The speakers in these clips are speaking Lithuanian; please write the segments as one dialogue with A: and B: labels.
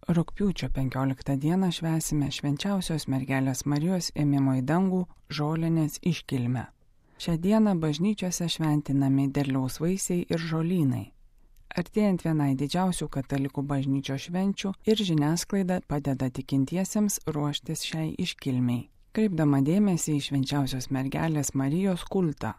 A: Rugpjūčio 15 dieną švęsime Švenčiausios mergelės Marijos ėmimo į dangų žolinės iškilmę. Šią dieną bažnyčiose šventinami derliaus vaisiai ir žolynai. Artėjant vienai didžiausių katalikų bažnyčios švenčių ir žiniasklaida padeda tikintiesiems ruoštis šiai iškilmei, kreipdama dėmesį į Švenčiausios mergelės Marijos kultą.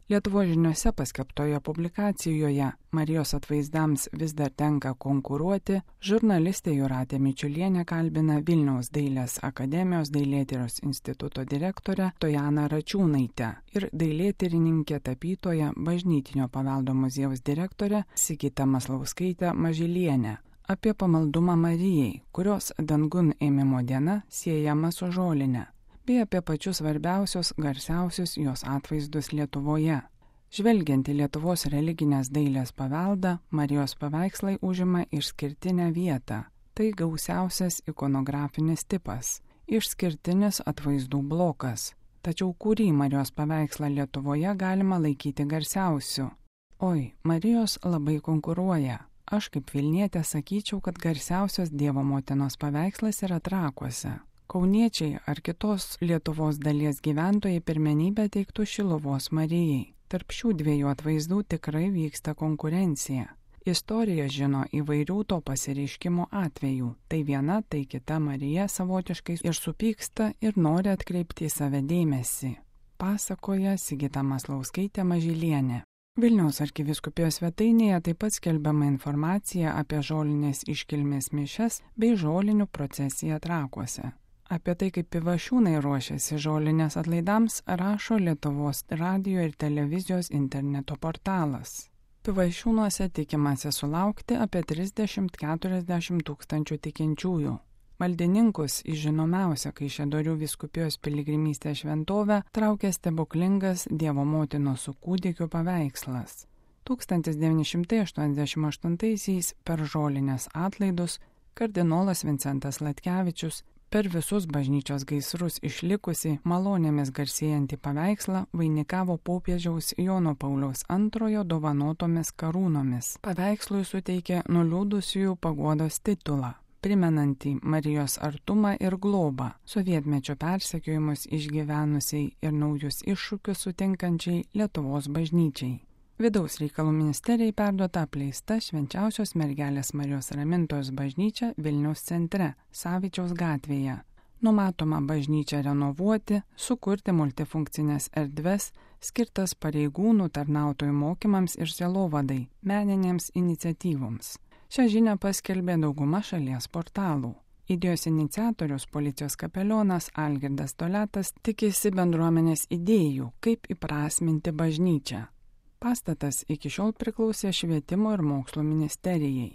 A: Lietuvos žiniose paskelbtoje publikacijoje Marijos atvaizdams vis dar tenka konkuruoti, žurnalistė Jūratė Mičiulienė kalbina Vilniaus dailės akademijos dailėtyros instituto direktorę Tojaną Račiūnaitę ir dailėtyrininkė tapytoja Bažnytinio paveldo muziejaus direktorė Sigita Maslauskaitė Mažylienė apie pamaldumą Marijai, kurios dangun ėmimo diena siejama su žoline, bei apie pačius svarbiausius, garsiausius jos atvaizdus Lietuvoje. Žvelgiant į Lietuvos religinės dailės paveldą, Marijos paveikslai užima išskirtinę vietą. Tai gausiausias ikonografinis tipas, išskirtinis atvaizdų blokas. Tačiau kurį Marijos paveikslą Lietuvoje galima laikyti garsiausiu? Oi, Marijos labai konkuruoja. Aš kaip Vilnietė sakyčiau, kad garsiausias Dievo motinos paveikslas yra Trakuose. Kauniečiai ar kitos Lietuvos dalies gyventojai pirmenybę teiktų Šiluvos Marijai. Tarp šių dviejų atvaizdų tikrai vyksta konkurencija. Istorija žino įvairių to pasireiškimo atvejų. Tai viena, tai kita Marija savotiškai ir supyksta ir nori atkreipti į save dėmesį. Pasakoja Sigita Maslauskaitė Mažylienė. Vilniaus arkivyskupijos svetainėje taip pat skelbiama informacija apie žolinės iškilmės mišias bei žolinių procesiją Trakuose. Apie tai, kaip Pivašiūnai ruošiasi žolinės atlaidams, rašo Lietuvos radijo ir televizijos interneto portalas. Pivašiūnuose tikimasi sulaukti apie 30–40 tūkstančių tikinčiųjų. Maldininkus į žinomiausią Kaišiadorių vyskupijos piligrimystės šventovę traukia stebuklingas Dievo motinos su kūdikiu paveikslas. 1988 per žolinės atlaidus kardinolas Vincentas Latkevičius per visus bažnyčios gaisrus išlikusi malonėmis garsėjantį paveikslą vainikavo popiežiaus Jono Pauliaus II dovanotomis karūnomis. Paveikslui suteikė nuliūdusiųjų paguodos titulą, primenantį Marijos artumą ir globą, sovietmečio persekiojimus išgyvenusiai ir naujus iššūkius sutinkančiai Lietuvos bažnyčiai. Vidaus reikalų ministerijai perduota apleista Švenčiausios mergelės Marijos Ramintojos bažnyčia Vilniaus centre, Savičiaus gatvėje. Numatoma bažnyčią renovuoti, sukurti multifunkcinės erdves, skirtas pareigūnų tarnautojų mokymams ir sielovadai, meninėms iniciatyvoms. Šią žinią paskelbė dauguma šalies portalų. Idėjos iniciatorius policijos kapelionas Algirdas Toletas tikisi bendruomenės idėjų, kaip įprasminti bažnyčią. Pastatas iki šiol priklausė Švietimo ir mokslo ministerijai.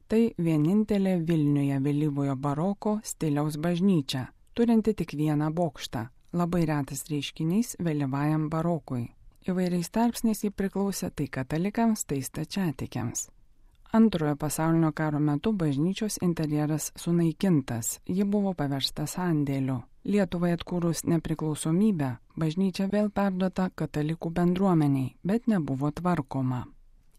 A: Tai vienintelė Vilniuje vėlyvojo baroko stiliaus bažnyčia, turinti tik vieną bokštą, labai retas reiškinys vėlyvajam barokui. Įvairiais tarpsniais jį priklausė tai katalikams, tai stačiatikiams. Antrojo pasaulinio karo metu bažnyčios interjeras sunaikintas, ji buvo paversta sandėliu. Lietuvai atkūrus nepriklausomybę, bažnyčia vėl perduota katalikų bendruomeniai, bet nebuvo tvarkoma.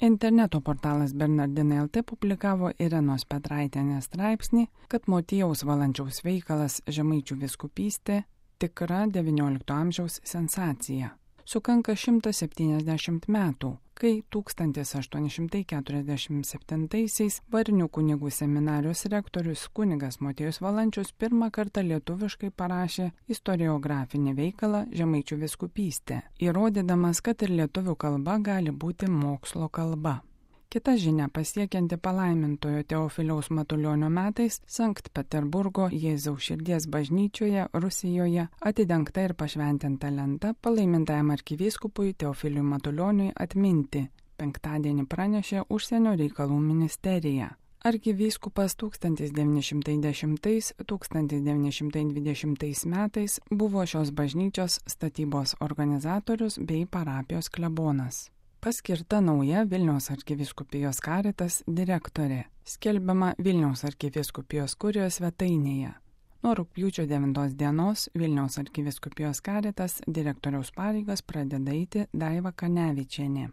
A: Interneto portalas Bernardinai LT publikavo Irenos Petraitienės straipsnį, kad Motiejaus Valančiaus veikalas Žemaičių vyskupystė tikra XIX amžiaus sensacija. Sukanka 170 metų, kai 1847 Varnių kunigų seminarijos rektorius kunigas Motiejus Valančius pirmą kartą lietuviškai parašė istoriografinį veikalą Žemaičių vyskupystė, įrodydamas, kad ir lietuvių kalba gali būti mokslo kalba. Kita žinia pasiekianti palaimintojo Teofiliaus Matulionio metais Sankt Peterburgo Jėzaus širdies bažnyčioje Rusijoje atidengta ir pašventinta lenta palaimintajam arkivyskupui Teofiliui Matulioniui atminti, penktadienį pranešė Užsienio reikalų ministerija. Arkivyskupas 1910–1920 metais buvo šios bažnyčios statybos organizatorius bei parapijos klebonas. Paskirta nauja Vilniaus arkivyskupijos Caritas direktorė, skelbiama Vilniaus arkivyskupijos kurijos svetainėje. Nuo rugpjūčio 9 dienos Vilniaus arkivyskupijos Caritas direktoriaus pareigas pradeda eiti Daiva Kanevičienė.